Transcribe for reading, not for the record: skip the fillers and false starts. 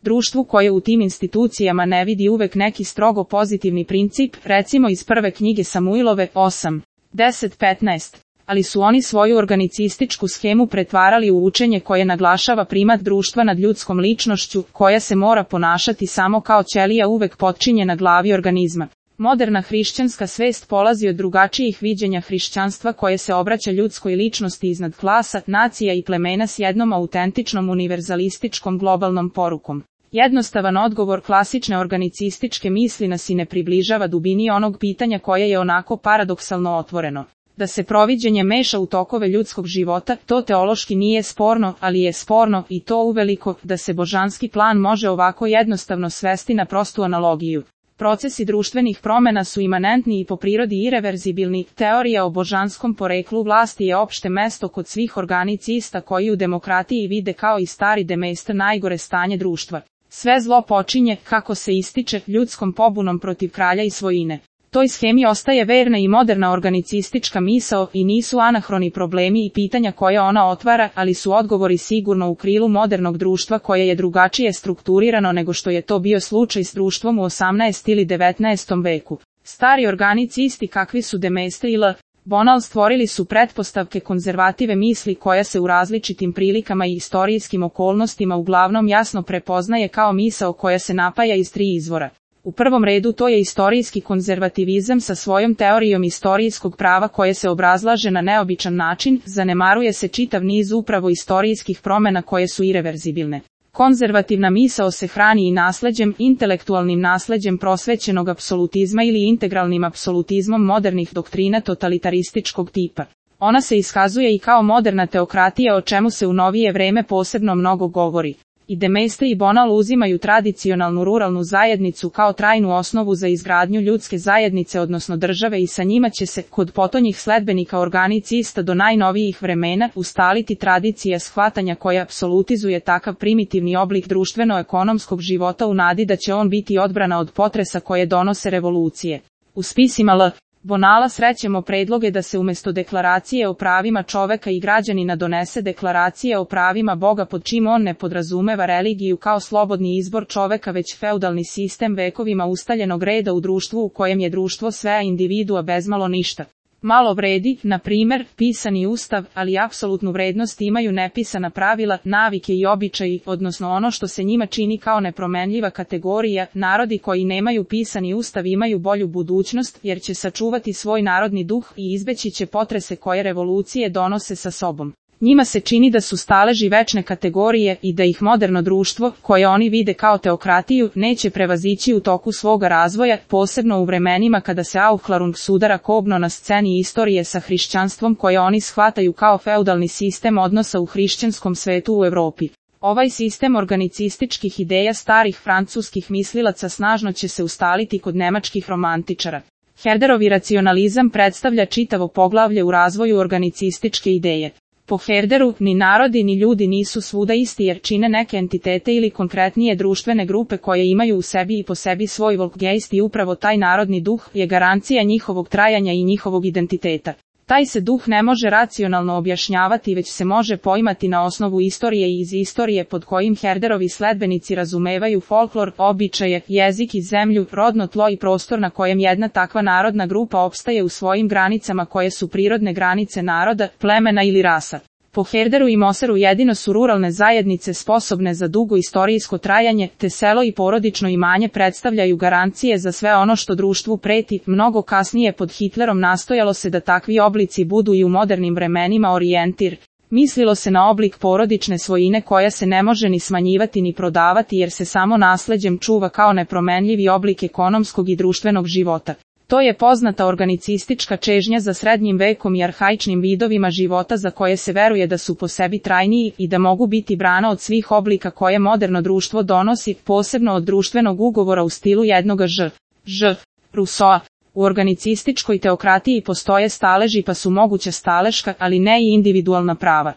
Društvu koje u tim institucijama ne vidi uvek neki strogo pozitivni princip, recimo iz prve knjige Samuilove, 8, 10, 15. Ali su oni svoju organicističku schemu pretvarali u učenje koje naglašava primat društva nad ljudskom ličnošću, koja se mora ponašati samo kao ćelija uvek potčinjena glavi organizma. Moderna hrišćanska svest polazi od drugačijih viđenja hrišćanstva koje se obraća ljudskoj ličnosti iznad klasa, nacija i plemena s jednom autentičnom univerzalističkom globalnom porukom. Jednostavan odgovor klasične organicističke misli nas i ne približava dubini onog pitanja koje je onako paradoksalno otvoreno. Da se proviđenje meša u tokove ljudskog života, to teološki nije sporno, ali je sporno, i to uveliko, da se božanski plan može ovako jednostavno svesti na prostu analogiju. Procesi društvenih promena su imanentni i po prirodi ireverzibilni, teorija o božanskom poreklu vlasti je opšte mesto kod svih organicista koji u demokratiji vide kao i stari demejster najgore stanje društva. Sve zlo počinje, kako se ističe, ljudskom pobunom protiv kralja i svojine. Toj schemi ostaje verna i moderna organicistička misao i nisu anahroni problemi i pitanja koje ona otvara, ali su odgovori sigurno u krilu modernog društva koje je drugačije strukturirano nego što je to bio slučaj s društvom u 18. ili 19. veku. Stari organicisti kakvi su de Maistre i L. Bonal stvorili su pretpostavke konzervative misli koja se u različitim prilikama i istorijskim okolnostima uglavnom jasno prepoznaje kao misao koja se napaja iz tri izvora. U prvom redu to je istorijski konzervativizam sa svojom teorijom istorijskog prava koje se obrazlaže na neobičan način, zanemaruje se čitav niz upravo istorijskih promena koje su ireverzibilne. Konzervativna misao se hrani i nasleđem, intelektualnim nasleđem prosvećenog apsolutizma ili integralnim apsolutizmom modernih doktrina totalitarističkog tipa. Ona se iskazuje i kao moderna teokratija o čemu se u novije vreme posebno mnogo govori. I de Maistre i Bonal uzimaju tradicionalnu ruralnu zajednicu kao trajnu osnovu za izgradnju ljudske zajednice odnosno države i sa njima će se, kod potonjih sledbenika organicista do najnovijih vremena, ustaliti tradicija shvatanja koja apsolutizuje takav primitivni oblik društveno-ekonomskog života u nadi da će on biti odbrana od potresa koje donose revolucije. U spisima L. Bonala srećemo predloge da se umjesto deklaracije o pravima čoveka i građanina donese deklaracija o pravima Boga pod čim on ne podrazumeva religiju kao slobodni izbor čoveka već feudalni sistem vekovima ustaljenog reda u društvu u kojem je društvo sve a individua bezmalo ništa. Malo vredi, na primjer, pisani ustav, ali apsolutnu vrednost imaju nepisana pravila, navike i običaji, odnosno ono što se njima čini kao nepromenljiva kategorija. Narodi koji nemaju pisani ustav imaju bolju budućnost, jer će sačuvati svoj narodni duh i izbeći će potrese koje revolucije donose sa sobom. Njima se čini da su staleži večne kategorije i da ih moderno društvo, koje oni vide kao teokratiju, neće prevazići u toku svoga razvoja, posebno u vremenima kada se Aufklärung sudara kobno na sceni istorije sa hrišćanstvom koje oni shvataju kao feudalni sistem odnosa u hrišćanskom svetu u Europi. Ovaj sistem organicističkih ideja starih francuskih mislilaca snažno će se ustaliti kod nemačkih romantičara. Herderovi racionalizam predstavlja čitavo poglavlje u razvoju organicističke ideje. Po Herderu, ni narodi ni ljudi nisu svuda isti jer čine neke entitete ili konkretnije društvene grupe koje imaju u sebi i po sebi svoj volkgeist i upravo taj narodni duh je garancija njihovog trajanja i njihovog identiteta. Taj se duh ne može racionalno objašnjavati već se može poimati na osnovu istorije i iz istorije pod kojim Herderovi sledbenici razumevaju folklor, običaje, jezik i zemlju, rodno tlo i prostor na kojem jedna takva narodna grupa opstaje u svojim granicama koje su prirodne granice naroda, plemena ili rasa. Po Herderu i Moseru jedino su ruralne zajednice sposobne za dugo istorijsko trajanje, te selo i porodično imanje predstavljaju garancije za sve ono što društvu preti. Mnogo kasnije pod Hitlerom nastojalo se da takvi oblici budu i u modernim vremenima orijentir. Mislilo se na oblik porodične svojine koja se ne može ni smanjivati ni prodavati jer se samo nasleđem čuva kao nepromenljivi oblik ekonomskog i društvenog života. To je poznata organicistička čežnja za srednjim vekom i arhaičnim vidovima života za koje se veruje da su po sebi trajniji i da mogu biti brana od svih oblika koje moderno društvo donosi, posebno od društvenog ugovora u stilu jednoga Ž. Rousseau. U organicističkoj teokratiji postoje staleži pa su moguća staleška, ali ne i individualna prava.